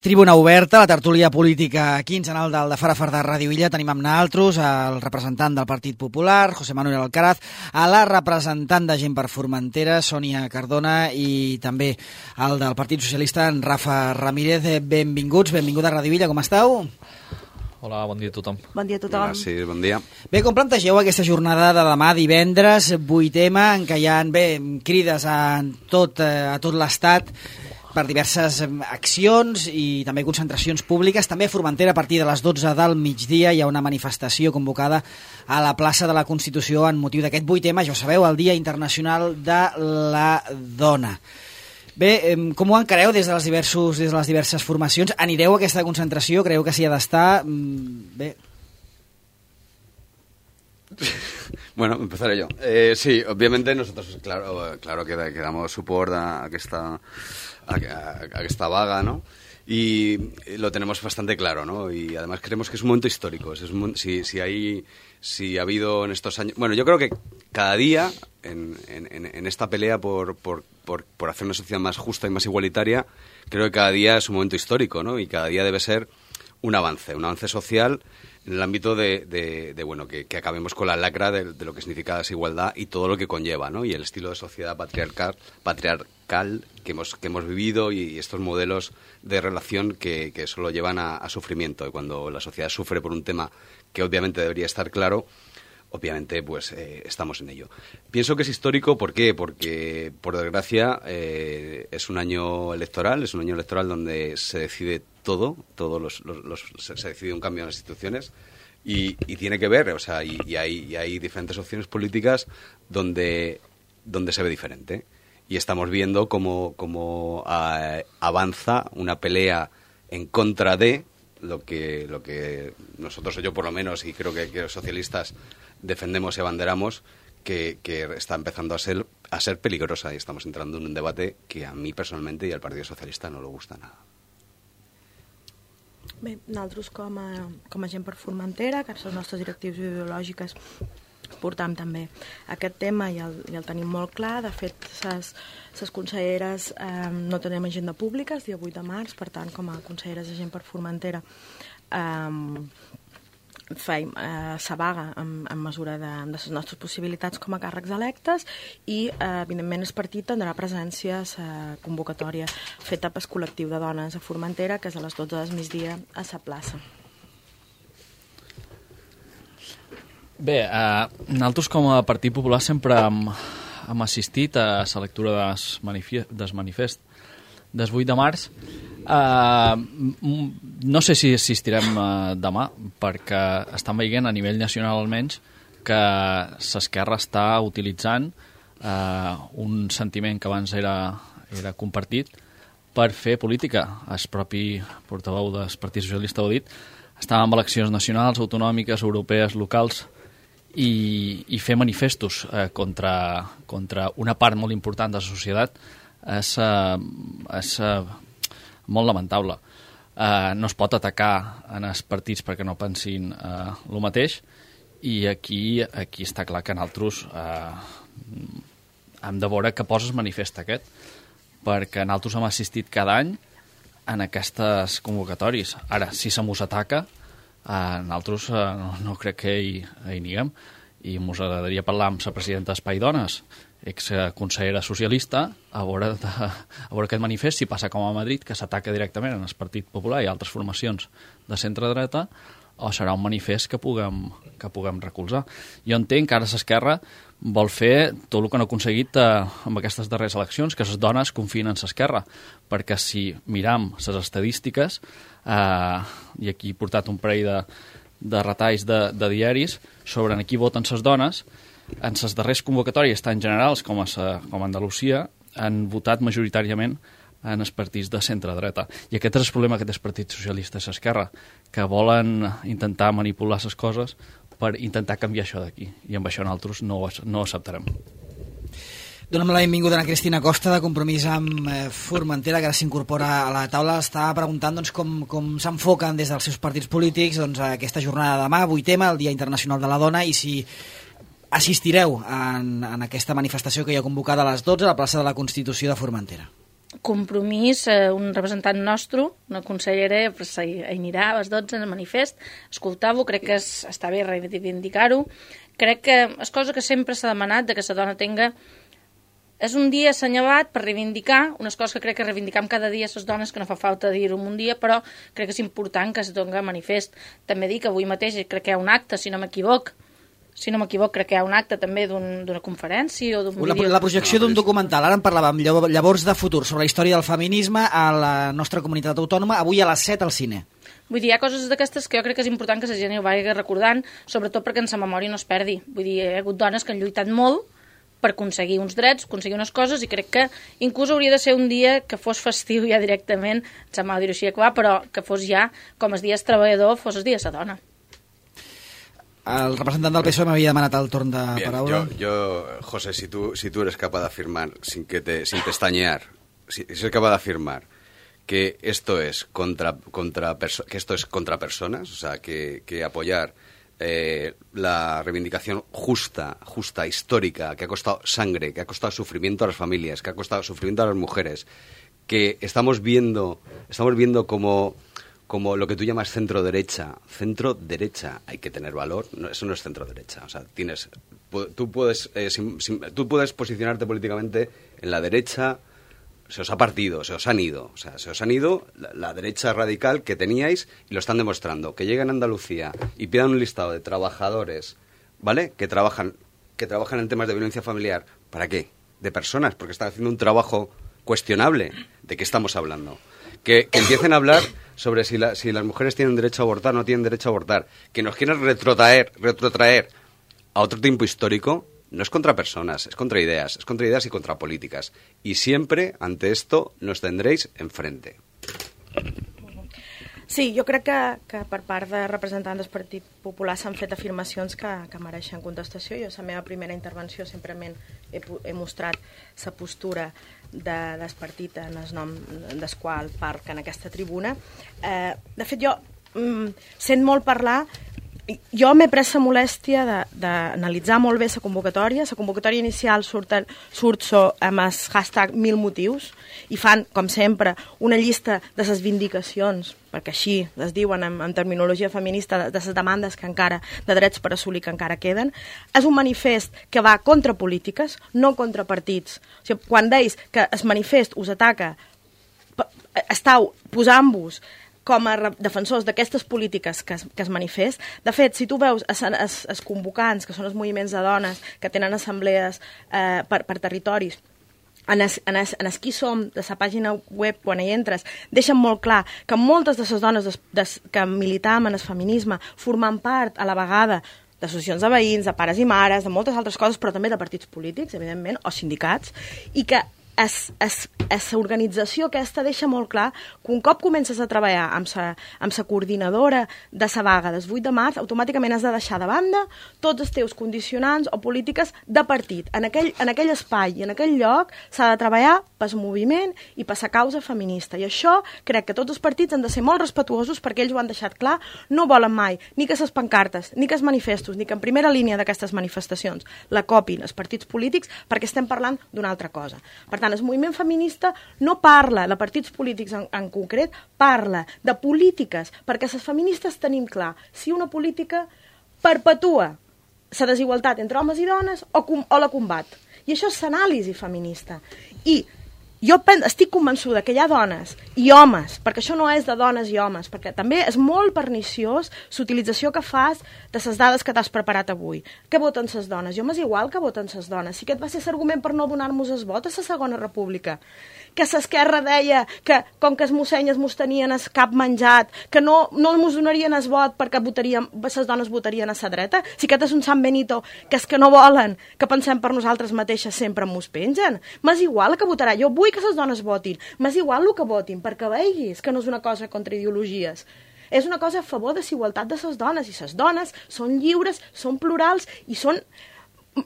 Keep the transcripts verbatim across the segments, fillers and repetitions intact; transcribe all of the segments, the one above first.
Tribuna oberta, la tertúlia política quinzenal del de Fara Far de Ràdio Illa. Tenim amb naltros el representant del Partit Popular, José Manuel Alcaraz, a la representant de Gent per Formentera, Sònia Cardona, i també el del Partit Socialista, en Rafa Ramírez. Benvinguts, benvinguda a Ràdio Illa, com esteu? Hola, bon dia a tothom. Bon dia a tothom. Gràcies, bon dia. Bé, com plantegeu aquesta jornada de demà, divendres, vuit ema, en què hi ha bé, crides a tot, a tot l'Estat per diverses accions i també concentracions públiques. També a Formentera, a partir de les dotze del migdia, hi ha una manifestació convocada a la plaça de la Constitució en motiu d'aquest vuit ema, ja ho sabeu, el Dia Internacional de la Dona. Bé, com ho encareu des de les, diversos, des de les diverses formacions? Anireu a aquesta concentració? Creieu que s'hi ha d'estar? Bé... Bueno, empezaré yo. Eh, sí, obviamente nosotros, claro, claro que, que damos support a, a esta a, a, a esta vaga, ¿no? Y lo tenemos bastante claro, ¿no? Y además creemos que es un momento histórico. Es un, si, si, hay, si ha habido en estos años... Bueno, yo creo que cada día en, en, en esta pelea por, por, por, por hacer una sociedad más justa y más igualitaria, creo que cada día es un momento histórico, ¿no? Y cada día debe ser un avance, un avance social en el ámbito de, de, de bueno, que, que acabemos con la lacra de, de lo que significa la desigualdad y todo lo que conlleva, ¿no? Y el estilo de sociedad patriarcal, patriarcal que hemos, que hemos vivido y estos modelos de relación que, que solo llevan a, a sufrimiento. Y cuando la sociedad sufre por un tema que obviamente debería estar claro, obviamente pues eh, estamos en ello. Pienso que es histórico, ¿por qué? Porque, por desgracia, eh, es un año electoral, es un año electoral donde se decide todo, todos los, los, los se, se decide un cambio en las instituciones y, y tiene que ver, o sea, y, y, hay, y hay diferentes opciones políticas donde, donde se ve diferente. Y estamos viendo cómo, cómo uh, avanza una pelea en contra de lo que, lo que nosotros, o yo por lo menos, y creo que, que los socialistas defendemos y abanderamos, que, que está empezando a ser, a ser peligrosa y estamos entrando en un debate que a mí personalmente y al Partido Socialista no le gusta nada. Bé, nosaltres com a, com a Gent per Formentera, que les nostres directrius ideològiques portam també aquest tema i el, i el tenim molt clar. De fet, les conselleres eh, no tenim agenda pública el dia vuit de març, per tant, com a conselleres de Gent per Formentera eh, feim eh, sa vaga en, en mesura de, de les nostres possibilitats com a càrrecs electes i, eh, evidentment, el partit tindrà presència a la convocatòria feta pel col·lectiu de dones a Formentera, que és a les dotze del migdia a la plaça. Bé, eh, nosaltres com a Partit Popular sempre hem, hem assistit a la lectura del manifest, del manifest del vuit de març. Uh, no sé si assistirem uh, demà, perquè estan veient a nivell nacional almenys que l'esquerra està utilitzant uh, un sentiment que abans era, era compartit per fer política. El propi portaveu del Partit Socialista ho ha dit. Estàvem en eleccions nacionals, autonòmiques, europees, locals i, i fer manifestos uh, contra, contra una part molt important de la societat és, uh, és uh, molt lamentable. Uh, no es pot atacar en els partits perquè no pensin uh, el mateix i aquí, aquí està clar que nosaltres uh, hem de veure que posa el manifest aquest, perquè nosaltres hem assistit cada any en aquestes convocatòries. Ara, si se mos ataca, uh, nosaltres uh, no, no crec que hi, hi niguem i mos agradaria parlar amb la presidenta d'Espai Dones, ex-consellera socialista, a veure, de, a veure aquest manifest, si passa com a Madrid, que s'ataca directament en el Partit Popular i altres formacions de centre-dreta, o serà un manifest que puguem, que puguem recolzar. Jo entenc que ara l'esquerra vol fer tot el que no ha aconseguit eh, amb aquestes darreres eleccions, que les dones confien en l'esquerra, perquè si miram les estadístiques, eh, i aquí he portat un parell de, de retalls de, de diaris sobre en qui voten les dones, en les darreres convocatòries, tant generals com a, com a Andalusia, han votat majoritàriament en els partits de centre-dreta. I aquest és el problema que té el Partit Socialista i l'esquerra, que volen intentar manipular les coses per intentar canviar això d'aquí. I amb això nosaltres no, no ho acceptarem. Donem la benvinguda a Cristina Costa, de Compromís amb eh, Formentera, que ara s'incorpora a la taula. Està preguntant doncs, com, com s'enfoquen des dels seus partits polítics doncs, a aquesta jornada de demà, vuit ema, el Dia Internacional de la Dona, i si assistireu en, en aquesta manifestació que hi ha convocada a les dotze a la plaça de la Constitució de Formentera. Compromís, eh, un representant nostre, una consellera, pues, anirà a les dotze en el manifest, escoltar-ho, crec que és, està bé reivindicar-ho. Crec que és cosa que sempre s'ha demanat, de que la dona tenga... És un dia assenyalat per reivindicar, unes coses que crec que reivindicam cada dia les dones, que no fa falta dir-ho en un dia, però crec que és important que es doni manifest. També dic que avui mateix crec que hi ha un acte, si no m'equivoc, si no m'equivoc, crec que hi ha un acte també d'una un, conferència o d'un la, vídeo. La projecció d'un documental, ara en parlàvem, llavors de futur, sobre la història del feminisme a la nostra comunitat autònoma, avui a les set al cine. Vull dir, hi ha coses d'aquestes que jo crec que és important que la gent ho vagi recordant, sobretot perquè en sa memòria no es perdi. Vull dir, hi ha hagut dones que han lluitat molt per aconseguir uns drets, aconseguir unes coses, i crec que inclús hauria de ser un dia que fos festiu ja directament, em sembla dir-ho així, clar, però que fos ja, com els dies treballador, fos el dia de la dona. El representant del P S O E m'havia demanat el torn de Bien, paraula. Yo, yo, José, si tú, si tú eres capaz de afirmar, sin, que te, sin pestañear, si, si eres capaz de afirmar que esto es contra, contra, perso que esto es contra personas, o sea, que, que apoyar Eh, la reivindicación justa, justa, histórica, que ha costado sangre, que ha costado sufrimiento a las familias, que ha costado sufrimiento a las mujeres, que estamos viendo, estamos viendo como, como lo que tú llamas centro-derecha. Centro-derecha, hay que tener valor, no, eso no es centro-derecha. O sea, tienes, tú puedes, eh, sin, sin, tú puedes posicionarte políticamente en la derecha. Se os ha partido, se os han ido. O sea, se os han ido la, la derecha radical que teníais y lo están demostrando. Que lleguen a Andalucía y pidan un listado de trabajadores, ¿vale? Que trabajan, que trabajan en temas de violencia familiar. ¿Para qué? De personas, porque están haciendo un trabajo cuestionable. ¿De qué estamos hablando? Que, que empiecen a hablar sobre si, la, si las mujeres tienen derecho a abortar o no tienen derecho a abortar. Que nos quieran retrotraer, retrotraer a otro tiempo histórico. No es contra personas, es contra ideas, es contra ideas y contra políticas. Y siempre, ante esto, nos tendréis enfrente. Sí, jo crec que, que per part de representants del Partit Popular s'han fet afirmacions que, que mereixen contestació. Jo, a la meva primera intervenció, simplement he, he mostrat la postura de, del partit en el nom del qual parc en aquesta tribuna. Eh, de fet, jo mm, sent molt parlar... Jo m'he pres la molèstia d'analitzar molt bé la convocatòria. La convocatòria inicial surt, surt so, amb el hashtag mil motius i fan, com sempre, una llista de les vindicacions, perquè així es diuen en, en terminologia feminista, de, de les demandes que encara, de drets per assolir que encara queden. És un manifest que va contra polítiques, no contra partits. O sigui, quan deis que el manifest us ataca, estàu posant-vos com a defensors d'aquestes polítiques que es, que es manifest. De fet, si tu veus els convocants, que són els moviments de dones, que tenen assemblees eh, per, per territoris, en es, en, es, en es qui som, de la pàgina web, quan hi entres, deixen molt clar que moltes de les dones des, des, que militam en el feminisme formen part a la vegada d'associacions de veïns, de pares i mares, de moltes altres coses, però també de partits polítics, evidentment, o sindicats, i que aquesta organització aquesta deixa molt clar que un cop comences a treballar amb la amb la coordinadora de la vaga del vuit de març, automàticament has de deixar de banda tots els teus condicionants o polítiques de partit. En aquell, en aquell espai i en aquell lloc s'ha de treballar pel moviment i per la causa feminista. I això crec que tots els partits han de ser molt respetuosos, perquè ells ho han deixat clar, no volen mai ni que les pancartes, ni que els manifestos, ni que en primera línia d'aquestes manifestacions la copin els partits polítics, perquè estem parlant d'una altra cosa. Per tant, el moviment feminista no parla de partits polítics en, en concret, parla de polítiques, perquè les feministes tenim clar si una política perpetua la desigualtat entre homes i dones o, o la combat. I això és l'anàlisi feminista. I jo estic convençuda que hi ha dones i homes, perquè això no és de dones i homes, perquè també és molt perniciós l'utilització que fas de les dades que t'has preparat avui. Què voten les dones? Jo m'és igual que voten les dones. Si aquest va ser l'argument per no donar-nos el vot a la Segona República. Que l'esquerra deia que, com que els mossenyes mos tenien el cap menjat, que no, no mos donarien el vot perquè votaríem, les dones votarien a la dreta. Si aquest és un Sant Benito, que és que no volen que pensem per nosaltres mateixes, sempre mos pengen. M'és igual que votarà. Jo vull que les dones votin. M'és igual el que votin, perquè veiguis que no és una cosa contra ideologies. És una cosa a favor de la igualtat de les dones. I les dones són lliures, són plurals i són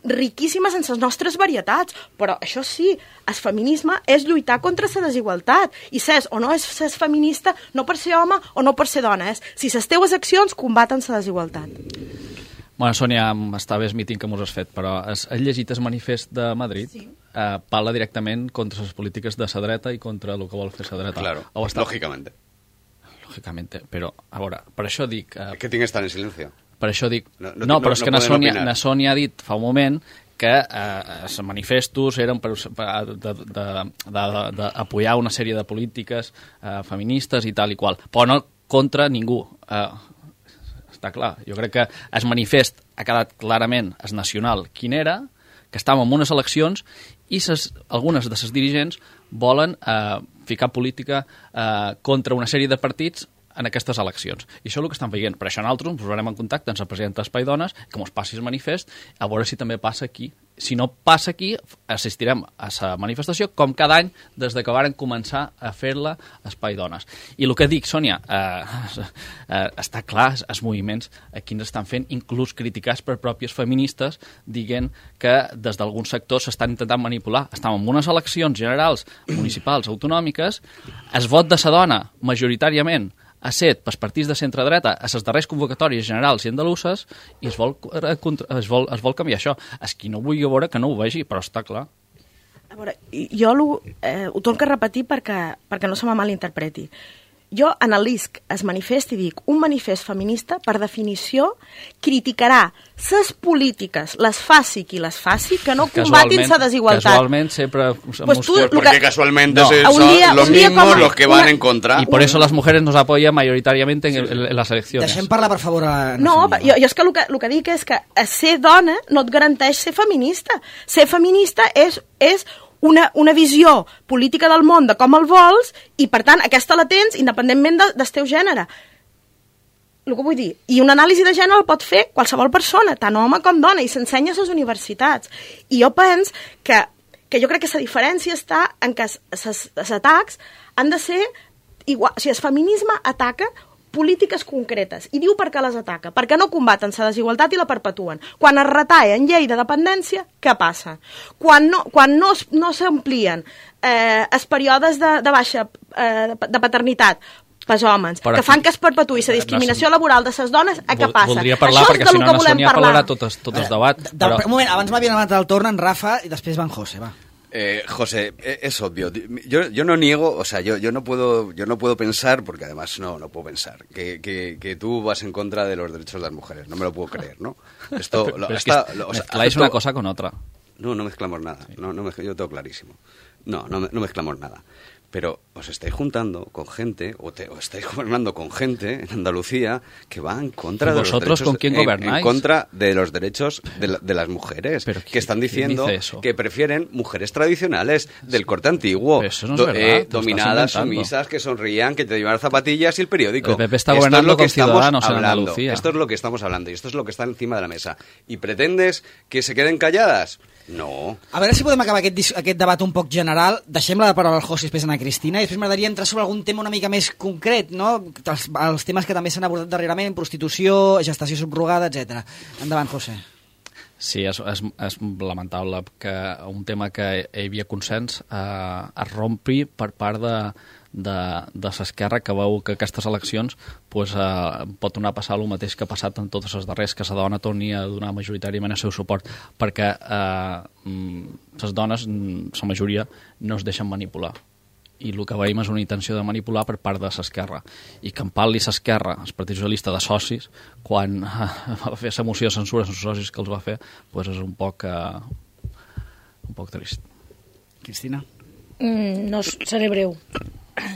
riquíssimes en les nostres varietats, però això sí, el feminisme és lluitar contra la desigualtat, i s'és o no és ser feminista no per ser home o no per ser dona, és si les teues accions combaten la desigualtat. Bueno, Sònia, està bé el míting que mos has fet, però has, has llegit el manifest de Madrid? Sí. Eh, parla directament contra les polítiques de la dreta i contra el que vol fer la dreta. Claro, està... lógicamente. Lógicamente, però, a veure, per això dic... Eh, Es que tiene que estar en silencio. Per això dic... No, no, no però no, és no que na Sònia, opinar. na Sònia ha dit fa un moment que eh, els manifestos eren per, per d'apoyar una sèrie de polítiques eh, feministes i tal i qual, però no contra ningú. Eh, està clar. Jo crec que el manifest ha quedat clarament el nacional quin era, que estàvem en unes eleccions i ses, algunes de les dirigents volen eh, ficar política eh, contra una sèrie de partits en aquestes eleccions. I això és el que estan veient. Per això nosaltres ens posarem en contacte amb la presidenta d'Espai Dones, que ens passi el manifest, a veure si també passa aquí. Si no passa aquí, assistirem a la manifestació com cada any des que varen començar a fer-la a Espai Dones. I el que dic, Sònia, eh, eh, està clar, els moviments aquí ens estan fent, inclús criticats per pròpies feministes, dient que des d'alguns sectors s'estan intentant manipular. Estem en unes eleccions generals, municipals, autonòmiques, el vot de la dona, majoritàriament, ha set pels partits de centre-dreta a les darreres convocatòries generals i andaluses i es vol, es vol, es vol canviar això. És qui no vulgui veure que no ho vegi, però està clar. A veure, jo lo, eh, ho torno a repetir perquè, perquè no se me malinterpreti. Jo analisc es manifest i dic, un manifest feminista, per definició, criticarà les polítiques, les faci qui les faci, que no combatin la desigualtat. Casualment sempre... Pues tú, pues porque casualmente no. son día, los mismos como, los que una, van en contra. Y por eso las mujeres nos apoyan mayoritariamente en, en, en las elecciones. Deixem parlar, per favor, a... No, jo, jo és que el, que el que dic és que ser dona no et garanteix ser feminista. Ser feminista és... és Una, una visió política del món de com el vols i, per tant, aquesta la tens independentment de, del teu gènere. El que vull dir, i una anàlisi de gènere el pot fer qualsevol persona, tant home com dona, i s'ensenya a les universitats. I jo penso que, que jo crec que la diferència està en que els atacs han de ser igual. O sigui, el feminisme ataca polítiques concretes. I diu per què les ataca. Perquè no combaten la desigualtat i la perpetuen. Quan es retalla en llei de dependència, què passa? Quan no, quan no, no s'amplien eh, els períodes de, de baixa eh, de paternitat pels homes, per que aquí, fan que es perpetuï la discriminació no, laboral de les dones, a què passa? Voldria parlar, això perquè si no, na Sònia parlarà tot el, tot el debat. De, de, però... Un moment, abans m'havien anat el torn en Rafa i després va en José, va. Eh, José, es obvio. Yo, yo no niego, o sea, yo, yo no puedo, yo no puedo pensar, porque además no, no puedo pensar, que, que, que tú vas en contra de los derechos de las mujeres. No me lo puedo creer, ¿no? Esto, pero, lo, pero hasta, es que lo, o sea, mezcláis acepto... una cosa con otra. No, no mezclamos nada. No, no mezcl... Yo tengo clarísimo. No, no, no mezclamos nada. Pero os estáis juntando con gente, o, te, o estáis gobernando con gente en Andalucía que va en contra de los ¿Vosotros derechos, con quién gobernáis? En, en contra de los derechos de, la, de las mujeres, ¿Pero que están diciendo dice eso? que prefieren mujeres tradicionales del corte antiguo, Pero eso no es do, verdad, eh, tú dominadas, estás inventando. sumisas, que sonrían, que te llevan zapatillas y el periódico. El P P está esto gobernando es lo que con estamos Ciudadanos en hablando. Andalucía. Esto es lo que estamos hablando y esto es lo que está encima de la mesa. ¿Y pretendes que se queden calladas? No. A veure si podem acabar aquest, aquest debat un poc general. Deixem la paraula al José i després a Cristina, i després m'agradaria entrar sobre algun tema una mica més concret, no? Els, els temes que també s'han abordat darrerament, prostitució, gestació subrogada, etcètera. Endavant, José. Sí, és, és, és lamentable que un tema que hi havia consens eh, es rompi per part de, de, de l'esquerra, que veu que aquestes eleccions pues, eh, pot tornar a passar el mateix que ha passat en totes les darreres, que la dona torni a donar majoritàriament el seu suport, perquè eh, les dones, la majoria, no es deixen manipular. I el que veiem és una intenció de manipular per part de l'esquerra. I que en parli l'esquerra, el Partit Socialista, de socis, quan va fer la moció de censura als socis que els va fer, pues és un poc, uh, un poc trist. Cristina? Mm, no seré breu.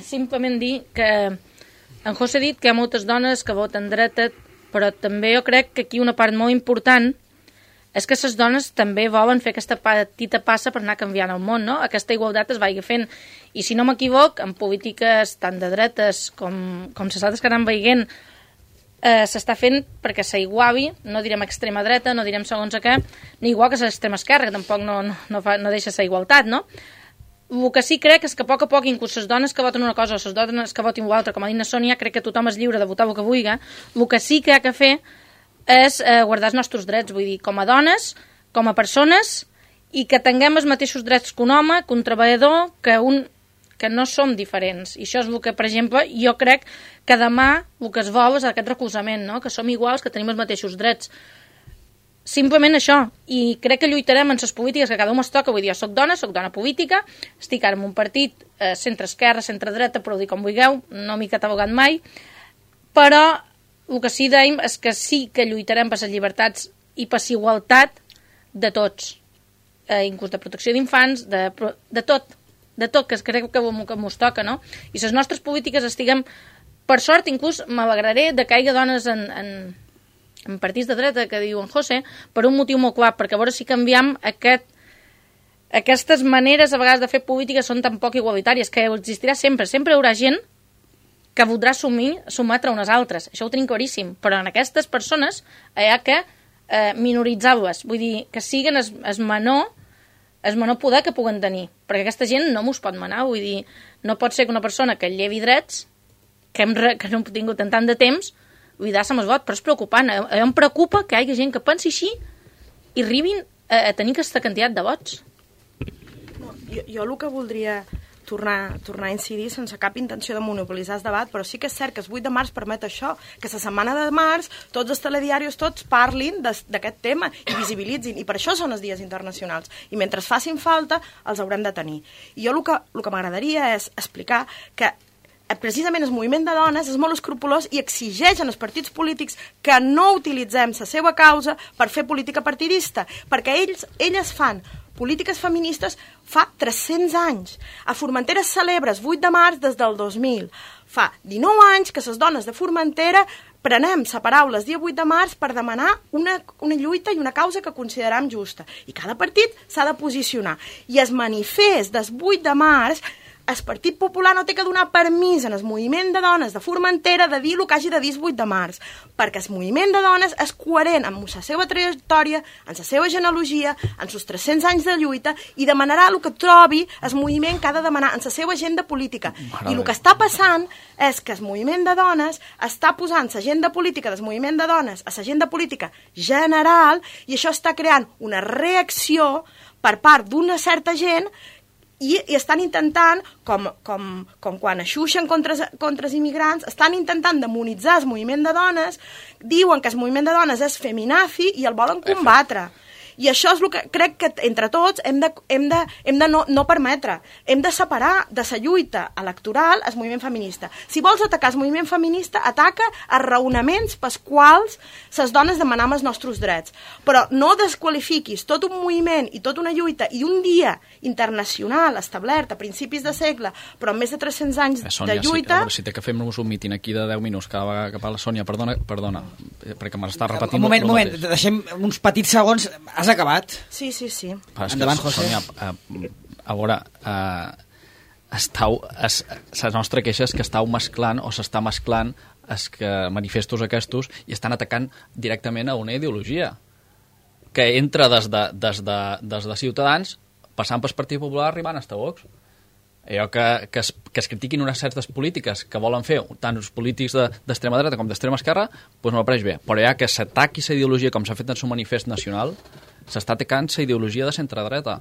Simplement dir que en José ha dit que hi ha moltes dones que voten dreta, però també jo crec que aquí una part molt important és que les dones també volen fer aquesta petita passa per anar canviant el món, no? Aquesta igualtat es vagi fent. I si no m'equivoc, en polítiques tant de dretes com, com les altres que anem veient, eh, s'està fent perquè s'aiguavi, no direm extrema dreta, no direm segons a què, ni igual que l'extrema esquerra, que tampoc no, no, no, fa, no deixa la igualtat, no? El que sí crec és que a poc a poc, inclús les dones que voten una cosa o les dones que votin una altra, com ha dit la Sònia, crec que tothom és lliure de votar el que vulgui. El que sí que ha de fer és eh, guardar els nostres drets, vull dir, com a dones, com a persones, i que tinguem els mateixos drets que un home, que un treballador, que un que no som diferents. I això és el que, per exemple, jo crec que demà el que es vol és aquest recolzament, no? Que som iguals, que tenim els mateixos drets. simplement això, i crec que lluitarem en les polítiques que cada un es toca. Vull dir, jo soc dona, soc dona política, estic ara en un partit eh, centre-esquerra, centre-dreta, però ho dic com vulgueu, no m'he catalogat mai, però el que sí dèiem és que sí que lluitarem per les llibertats i per la igualtat de tots, eh, inclús de protecció d'infants, de, de tot, de tot, que crec que mos toca, no? I les nostres polítiques estiguem, per sort, inclús m'alegraré de que hi hagi dones en... en en partits de dreta, que diu en José, per un motiu molt clar, perquè a veure si canviem aquest, aquestes maneres a vegades de fer política són tan poc igualitàries, que existirà sempre, sempre hi haurà gent que voldrà sumir, sumatre unes altres, això ho tenim claríssim, però en aquestes persones hi ha que eh, minoritzar-les, vull dir, que siguen es, es menor el menor poder que puguen tenir, perquè aquesta gent no mos pot manar, vull dir, no pot ser que una persona que llevi drets, que, hem re, que no hem tingut en tant de temps, vull dir, som el vot, però és preocupant. Em preocupa que hi hagi gent que pensi així i arribin a, a tenir aquesta quantitat de vots. No, jo, jo el que voldria tornar, tornar a incidir sense cap intenció de monopolitzar el debat, però sí que és cert que el vuit de març permet això, que la setmana de març tots els telediaris tots parlin d'aquest tema i visibilitzin, i per això són els dies internacionals. I mentre facin falta, els haurem de tenir. I jo el que, el que m'agradaria és explicar que precisament el moviment de dones és molt escrupolós i exigeix als partits polítics que no utilitzem la seva causa per fer política partidista, perquè ells, elles fan polítiques feministes fa tres-cents anys. A Formentera es celebra el vuit de març des del dos mil. Fa dinou anys que les dones de Formentera prenem la paraula el dia vuit de març per demanar una, una lluita i una causa que considerem justa. I cada partit s'ha de posicionar. I el manifest del vuit de març, el Partit Popular no té que donar permís en el moviment de dones de Formentera de dir el que hagi de dir el vuit de març, perquè el moviment de dones és coherent amb la seva trajectòria, amb la seva genealogia, amb els tres-cents anys de lluita, i demanarà el que trobi el moviment que ha de demanar en la seva agenda política. I el que està passant és que el moviment de dones està posant l'agenda política del moviment de dones a l'agenda política general, i això està creant una reacció per part d'una certa gent I, i estan intentant, com, com, com quan aixuixen contra, contra els immigrants, estan intentant demonitzar el moviment de dones, diuen que el moviment de dones és feminazi i el volen combatre. I això és el que crec que entre tots hem de, hem de, hem de no, no permetre. Hem de separar de la lluita electoral el moviment feminista. Si vols atacar el moviment feminista, ataca els raonaments pels quals les dones demanem els nostres drets. Però no desqualifiquis tot un moviment i tota una lluita i un dia internacional establert a principis de segle, però amb més de tres-cents anys eh, Sònia, de lluita... Si, si té que fer-nos un míting aquí de deu minuts cada vegada que parla Sònia, perdona, perdona perquè m'està repetint un moment, un moment, deixem uns petits segons. Has acabat? Sí, sí, sí. Endavant, José. Sònia, eh, a veure, eh, estau, es, la nostra queixa és que estàu mesclant o s'està mesclant els que manifestos aquestos i estan atacant directament a una ideologia que entra des de, des de, des de Ciutadans, passant pel Partit Popular, arribant a Vox. Allò que, que, es, que es critiquin unes certes polítiques que volen fer tant els polítics d'extrema dreta com d'extrema esquerra, doncs no m'apareix bé. Però ja que s'ataqui la ideologia com s'ha fet en el manifest nacional, s'està atacant la ideologia de centre-dreta.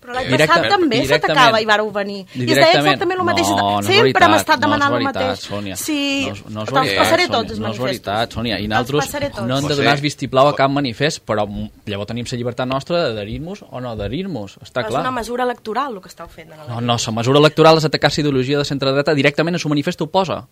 Però l'any passat també s'atacava i vareu venir. I es deia exactament el mateix. No, no és Sempre veritat, hem estat demanant no el veritat, mateix. Sònia. Sí, no, no és te'ls veritat, passaré Sònia, tots els no és manifestos. veritat, Sònia. I nosaltres no hem de donar vistiplau a cap manifest, però llavors tenim la llibertat nostra d'adherir-nos o no adherir-nos, està clar. clar. És una mesura electoral el que esteu fent. No, no, la mesura electoral és atacar la ideologia de centre-dreta directament en el manifest ho posa.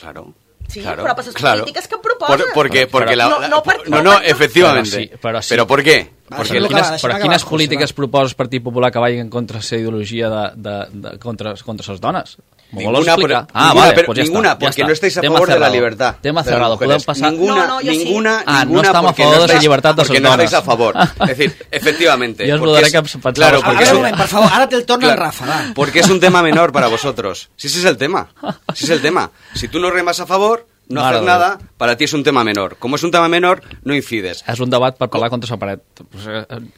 Claro. Sí, claro, pero para esas claro. políticas que proposa. Por, porque, porque pero, la, no, la, no, per, no, no, no, per, efectivamente. Però, sí, però, sí. ¿Pero por qué? Va, Perquè quines, quines, però quines acabar, polítiques José, proposa el Partit Popular que vagin contra la ideologia de, de, de, contra, contra les dones? Ninguna, pero, ah, ninguna, vale, pero, pues ya ninguna está, porque ya no estáis a tema favor cerrado. de la libertad. Tema de cerrado, podem pasar... Ninguna, no, no, ninguna, sí. ah, ninguna no estamos a porque favor no de la estáis, libertad de les porque no dones. estáis a favor. Es decir, efectivamente. Yo os porque lo daré es, que pensaba claro, porque a es ver, un, un moment, per favor, ara te'l torna claro, el Rafa, va. Porque es un tema menor para vosotros. Si ese es el tema. Si es el tema. Si tú no remas a favor... No Mare hacer nada, para ti es un tema menor. Como es un tema menor, no incides. És un debat per parlar contra la paret.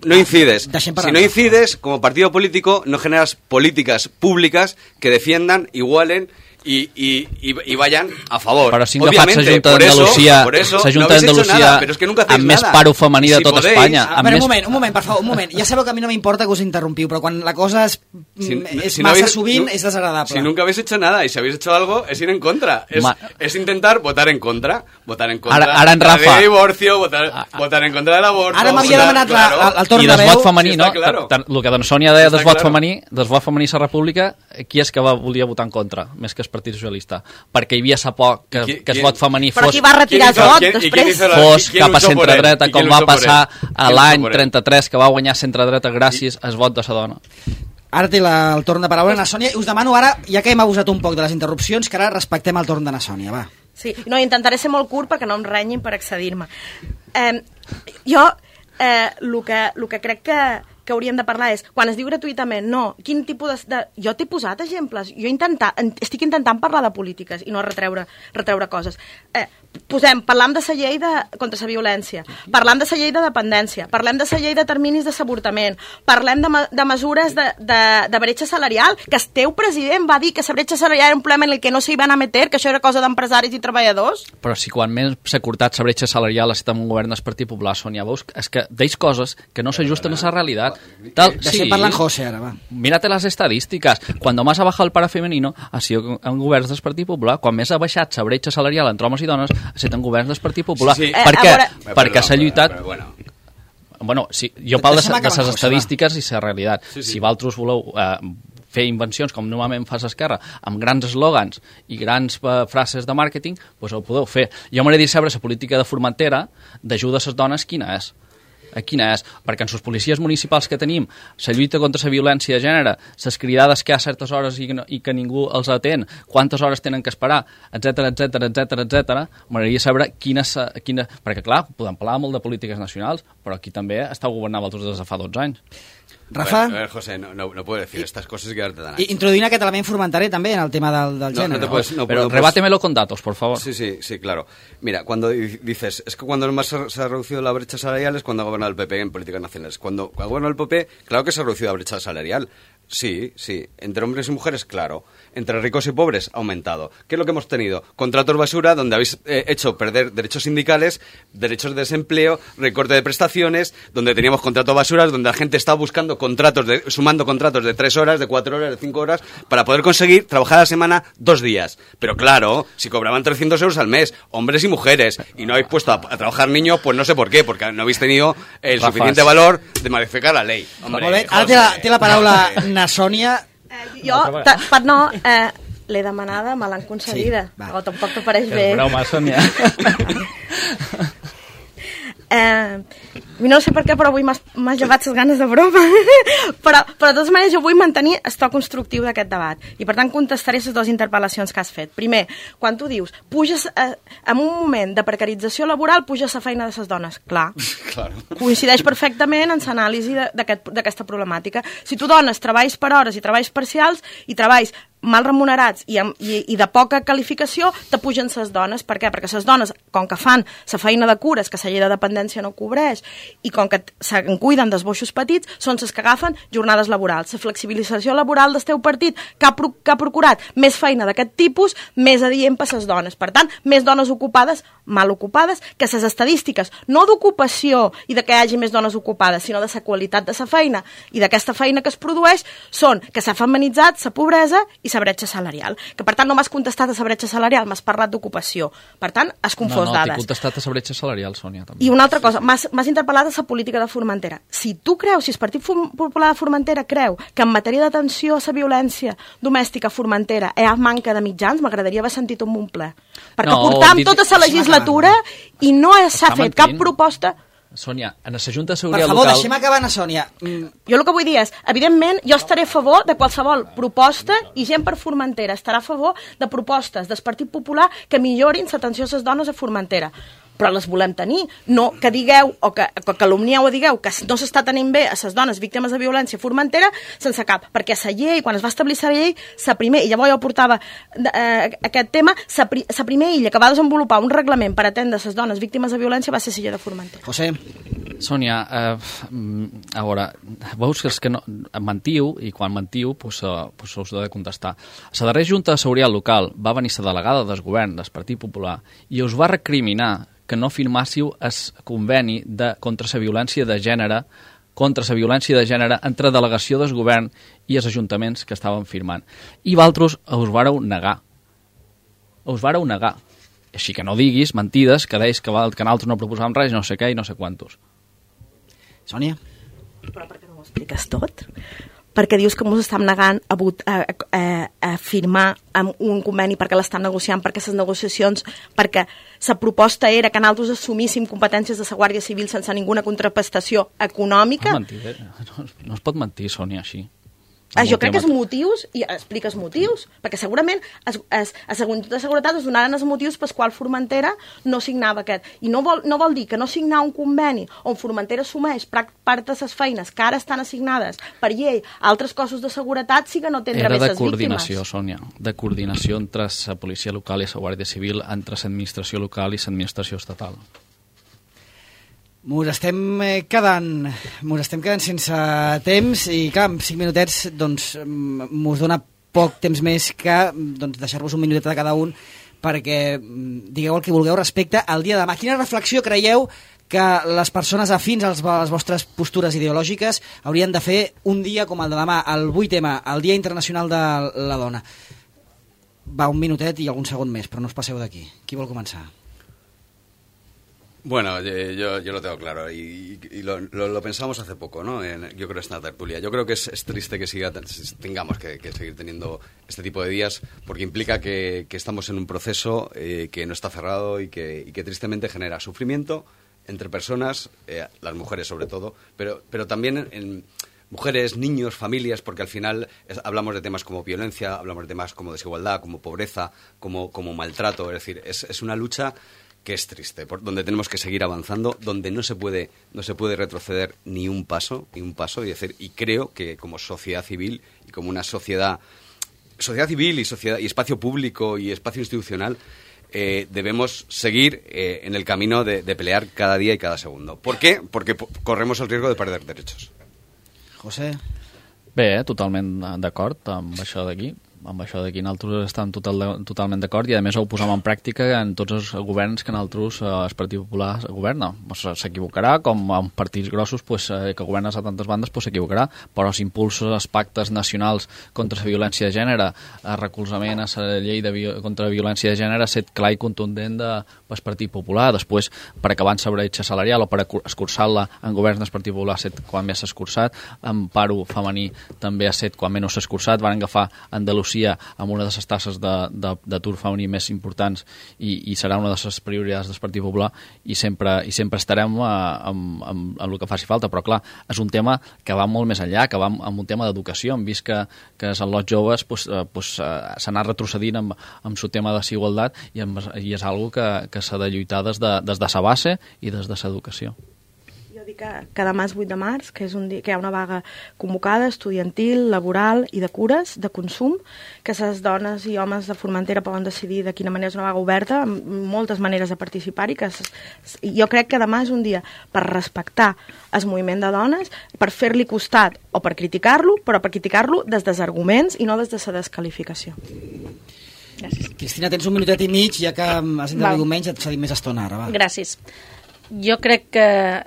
No incides. Si no incides, como partido político, no generas políticas públicas que defiendan, igualen y, y, y, y vayan a favor. Però si agafat la Junta d'Andalusia, la Junta d'Andalusia amb més paro femení de tota Espanya. A veure, un moment, un moment, per favor, un moment. Ja sabeu que a mi no m'importa que us interrompiu, però quan la cosa és, si, és si massa no habéis, sovint, no, és desagradable. Si nunca habéis hecho nada y si habéis hecho algo, es ir en contra. Es, es intentar votar en contra. Votar en contra ara, ara en Rafa. de divorcio, votar, ah, ah. votar en contra de l'avorto. Ara m'havia demanat claro. la, el torn I de veu. I desvot femení, sí, no? Claro. El que doncs Sònia deia desvot claro. femení, desvot femení a la República, qui és que va, volia votar en contra, més que el Partit Socialista? Perquè hi havia sa por que, qui, que el vot femení fos... Però qui va retirar el vot després? Fos cap a centre-dreta, com va passar a l'any trenta-tres, que va guanyar centre-dreta gràcies al vot de sa dona. Ara té la, el torn de paraula na Sònia. Us demano ara, ja que hem abusat un poc de les interrupcions, que ara respectem el torn de na Sònia, va. Sí, no, intentaré ser molt curt perquè no em renyin per accedir-me. Eh, jo, eh, el que, el que crec que, que hauríem de parlar és, quan es diu gratuïtament, no, quin tipus de... de jo t'he posat exemples, jo intenta, estic intentant parlar de polítiques i no retreure, retreure coses. Eh, posem, parlam de la llei de, contra la violència, parlam de la llei de dependència, parlem de la llei de terminis de s'avortament, parlem de, de mesures de, de, de bretxa salarial, que el teu president va dir que la bretxa salarial era un problema en el que no s'hi van a meter, que això era cosa d'empresaris i treballadors. Però si quan més s'ha cortat la bretxa salarial ha estat un govern del Partit Popular, Sònia, veus? És que deis coses que no s'ajusten a la realitat. Tal, Deixem sí. parlar en José ara, va. Mírate las estadísticas. Cuando más ha bajado el paro femenino ha sido en governs del Partit Popular. Quan més ha baixat la bretxa salarial entre homes i dones ha estat en governs del Partit Popular. Sí, sí. Per què? Eh, veure... Perquè s'ha lluitat... Però, però, bueno. Bueno, sí, jo parlo de, de les José, estadístiques va. I la realitat. Sí, sí. Si vosaltres voleu eh, fer invencions, com normalment fa l'esquerra, amb grans eslògans i grans eh, frases de màrqueting, doncs ho podeu fer. Jo m'agradaria saber la política de Formentera d'ajuda a les dones quina és. A quina és? Perquè en les policies municipals que tenim, la lluita contra la violència de gènere, les cridades que hi ha a certes hores i que, no, i que ningú els atén, quantes hores tenen que esperar, etcètera, etcètera, etcètera, etcètera, m'agradaria saber quina, quina... Perquè, clar, podem parlar molt de polítiques nacionals, però aquí també està governant vosaltres des de fa dotze anys. Rafa? A ver, a ver, José, no, no, no puedo decir estas cosas y quedarte tan ancho. Introduint aquest element formentaré també en el tema del, del No, gènere. no te puedes, no, Pero no puedes- rebátemelo con datos, por favor. Sí, sí, sí, claro. Mira, cuando di- dices, es que cuando más se se ha reducido la brecha salarial es cuando ha gobernado el P P en políticas nacionales. Cuando ha gobernado el P P, claro que se ha reducido la brecha salarial. Sí, sí. Entre hombres y mujeres, claro. Entre ricos y pobres, ha aumentado. ¿Qué es lo que hemos tenido? Contratos basura, donde habéis eh, hecho perder derechos sindicales, derechos de desempleo, recorte de prestaciones, donde teníamos contratos basuras, donde la gente estaba buscando contratos, de, sumando contratos de tres horas, de cuatro horas, de cinco horas, para poder conseguir trabajar a la semana dos días. Pero claro, si cobraban trescientos euros al mes, hombres y mujeres, y no habéis puesto a, a trabajar niños, pues no sé por qué, porque no habéis tenido el Rafa, suficiente sí. valor de modificar la ley. Hombre, Molt bé, ara té la, té la paraula na Sònia. Eh, jo, ta, per no... Eh, l'he demanada, me l'han concedida. Sí, va. Però tampoc t'apareix bé. És broma, Sònia. Eh, no sé per què, però avui m'has m'has llevat les ganes de broma. però, però de totes maneres jo vull mantenir el to constructiu d'aquest debat. I per tant contestaré les dues interpel·lacions que has fet. Primer, quan tu dius, puges eh, en un moment de precarització laboral, puja la feina de les dones. Clar, Claro. coincideix perfectament en l'anàlisi d'aquesta aquest, problemàtica. Si tu dones treballs per hores i treballs parcials i treballs mal remunerats i, amb, i, i de poca qualificació, te pugen ses dones. Per què? Perquè ses dones, com que fan la feina de cures, que la llei de dependència no cobreix, i com que se'n cuiden dels boixos petits, són ses que agafen jornades laborals. La flexibilització laboral del teu partit, que ha, pro, que ha procurat més feina d'aquest tipus, més adient per ses dones. Per tant, més dones ocupades, mal ocupades, que ses estadístiques, no d'ocupació i de que hi hagi més dones ocupades, sinó de la qualitat de la feina i d'aquesta feina que es produeix, són que s'ha feminitzat la pobresa i la bretxa salarial. Que per tant no m'has contestat a la bretxa salarial, m'has parlat d'ocupació. Per tant, has confós no, no, dades. t'he contestat a la bretxa salarial, Sònia. També. I una altra cosa, m'has interpel·lat a la política de Formentera. Si tu creus, si el Partit Popular de Formentera creu que en matèria d'atenció a la violència domèstica a Formentera hi ha manca de mitjans, m'agradaria haver sentit un bon ple. Perquè No, portam dit- tota la legislatura i no s'ha Està fet mentint. cap proposta. Sònia, en la Junta de Per Seguretat favor, Local... deixem acabar na Sònia. Mm, Jo el que vull dir és, evidentment, jo estaré a favor de qualsevol proposta i gent per Formentera estarà a favor de propostes del Partit Popular que millorin l'atenció a les dones a Formentera. Però les volem tenir, no que digueu o que, que calumnieu o digueu que no s'està tenint bé a les dones víctimes de violència a Formentera sense cap, perquè la llei, quan es va establir la llei, la primer, i llavors jo portava eh, aquest tema, la pri, primera illa que va desenvolupar un reglament per atendre les dones víctimes de violència va ser la llei de Formentera. José. Sònia, eh, a veure, veus que els que no, mentiu, i quan mentiu pues, uh, pues us heu de contestar. La darrera Junta de Seguretat Local va venir la delegada del govern del Partit Popular i us va recriminar que no firmàssiu el conveni de, contra la violència de gènere contra la violència de gènere entre delegació del govern i els ajuntaments que estaven firmant. I vosaltres us vareu negar. Us vareu negar. Així que no diguis mentides que deis que, que nosaltres no proposàvem res, no sé què i no sé quantos. Sònia? Però per què no ho expliques tot? Perquè dius que ens estem negant a, a, a, a firmar un conveni perquè l'estan negociant, perquè les negociacions, perquè la proposta era que nosaltres assumíssim competències de la Guàrdia Civil sense ninguna contraprestació econòmica. No, mentir, no, no es pot mentir, Sònia, així. Ah, jo crec que els motius, i expliques motius, perquè segurament es, es, a la Junta de Seguretat es donaren els motius pels quals Formentera no signava aquest. I no vol, no vol dir que no signar un conveni on Formentera assumeix part de les feines que ara estan assignades per llei a altres cossos de seguretat sí que no tindrà més les víctimes. Era de coordinació, Sònia, de coordinació entre la policia local i la Guàrdia Civil, entre l'administració local i l'administració estatal. Mos estem quedant, mos estem quedant sense temps i, clar, en cinc minutets doncs, mos dona poc temps més que doncs, deixar-vos un minutet a cada un perquè digueu el que vulgueu respecte al dia de demà. Quina reflexió creieu que les persones afins a les vostres postures ideològiques haurien de fer un dia com el de demà, el vuit ema, el Dia Internacional de la Dona? Va, un minutet i algun segon més, però no us passeu d'aquí. Qui vol començar? Bueno, yo, yo lo tengo claro y, y lo, lo, lo pensamos hace poco, ¿no? En, yo creo que es una tertulia. Yo creo que es, es triste que siga, tengamos que, que seguir teniendo este tipo de días porque implica que, que estamos en un proceso eh, que no está cerrado y que, y que tristemente genera sufrimiento entre personas, eh, las mujeres sobre todo, pero, pero también en, en mujeres, niños, familias, porque al final es, hablamos de temas como violencia, hablamos de temas como desigualdad, como pobreza, como, como maltrato. Es decir, es, es una lucha que es triste, por donde tenemos que seguir avanzando, donde no se puede no se puede retroceder ni un paso, ni un paso, y decir, y creo que como sociedad civil y como una sociedad sociedad civil y sociedad y espacio público y espacio institucional eh, debemos seguir eh, en el camino de, de pelear cada día y cada segundo. ¿Por qué? Porque po- corremos el riesgo de perder derechos. José? Bé, totalment d'acord amb això d'aquí. Amb això d'aquí nosaltres estem total, totalment d'acord i a més ho posem en pràctica en tots els governs que nosaltres, eh, el Partit Popular governa. S'equivocarà, com en partits grossos pues, eh, que governen a tantes bandes pues, s'equivocarà, però s'impulsa els pactes nacionals contra la violència de gènere, el recolzament a la llei de vi- contra la violència de gènere ha estat clar i contundent de, del Partit Popular. Després, per acabar amb la bretxa salarial o per escurçar-la en governs del Partit Popular ha estat quan més s'ha escurçat, en paro femení també ha estat quan menys s'ha escurçat. Van agafar Andalusia amb una de les tasses d'atur femení més importants i, i serà una de les prioritats del Partit Popular i sempre, i sempre estarem a, amb, amb, amb el que faci falta, però clar, és un tema que va molt més enllà, que va amb, amb un tema d'educació. Hem vist que, que els lots joves pues, pues, s'ha anat retrocedint amb, amb el tema de desigualtat i, amb, i és algo que, que s'ha de lluitar des de, des de sa base i des de l'educació. Que, que demà és vuit de març, que, és un dia, que hi ha una vaga convocada, estudiantil, laboral i de cures, de consum, que les dones i homes de Formentera poden decidir de quina manera és una vaga oberta, amb moltes maneres de participar-hi, que jo crec que demà és un dia per respectar el moviment de dones, per fer-li costat o per criticar-lo, però per criticar-lo des dels arguments i no des de la desqualificació. Gràcies. Cristina, tens un minutet i mig, ja que has intervingut menys, et cedim més estona ara, va. Gràcies. Jo crec que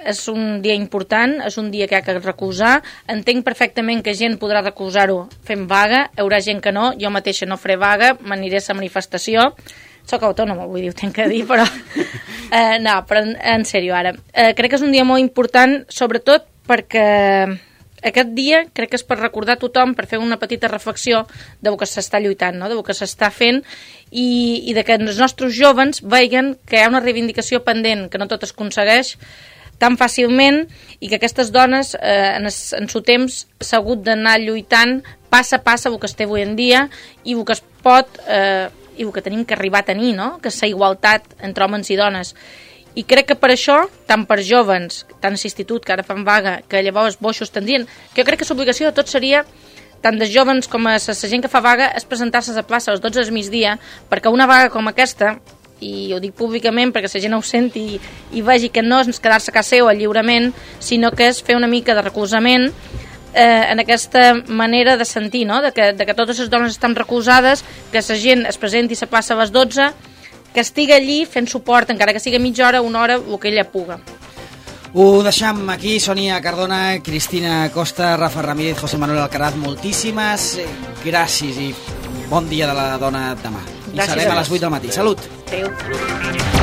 és un dia important, és un dia que hi ha que recolzar. Entenc perfectament que gent podrà recolzar-ho fent vaga, hi haurà gent que no, jo mateixa no faré vaga, m'aniré a la manifestació. Soc autònoma, vull dir, ho tinc que dir, però... Eh, no, però en, en sèrio, ara. Eh, crec que és un dia molt important, sobretot perquè aquest dia crec que és per recordar a tothom, per fer una petita reflexió de que s'està lluitant, no? De que s'està fent i, i de que els nostres jovens veguen que hi ha una reivindicació pendent, que no tot es aconsegueix tan fàcilment i que aquestes dones eh, en, es, en seu temps s'ha hagut d'anar lluitant passa a passa el que es té avui en dia i el que es pot eh, i el que tenim que arribar a tenir, no? Que és la igualtat entre homes i dones. I crec que per això, tant per jovens, tant a l'institut, que ara fan vaga, que llavors boixos tendrien, que jo crec que l'obligació de tot seria, tant de jovens com a la gent que fa vaga, és presentar-se a la plaça a les dotze del migdia, perquè una vaga com aquesta i ho dic públicament perquè la gent ho senti i, i vegi que no és quedar-se a casa seu lliurement, sinó que és fer una mica de recolzament eh, en aquesta manera de sentir, no? de, que, de que totes les dones estan recolzades, que la gent es presenti a la plaça a les dotze, que estigui allí fent suport, encara que sigui mitja hora, una hora, el que ella puga. Ho deixam aquí, Sònia Cardona, Cristina Costa, Rafa Ramírez, José Manuel Alcaraz, moltíssimes gràcies i bon dia de la dona demà. I Gràcies serem a les vuit del matí. Salut! Adéu.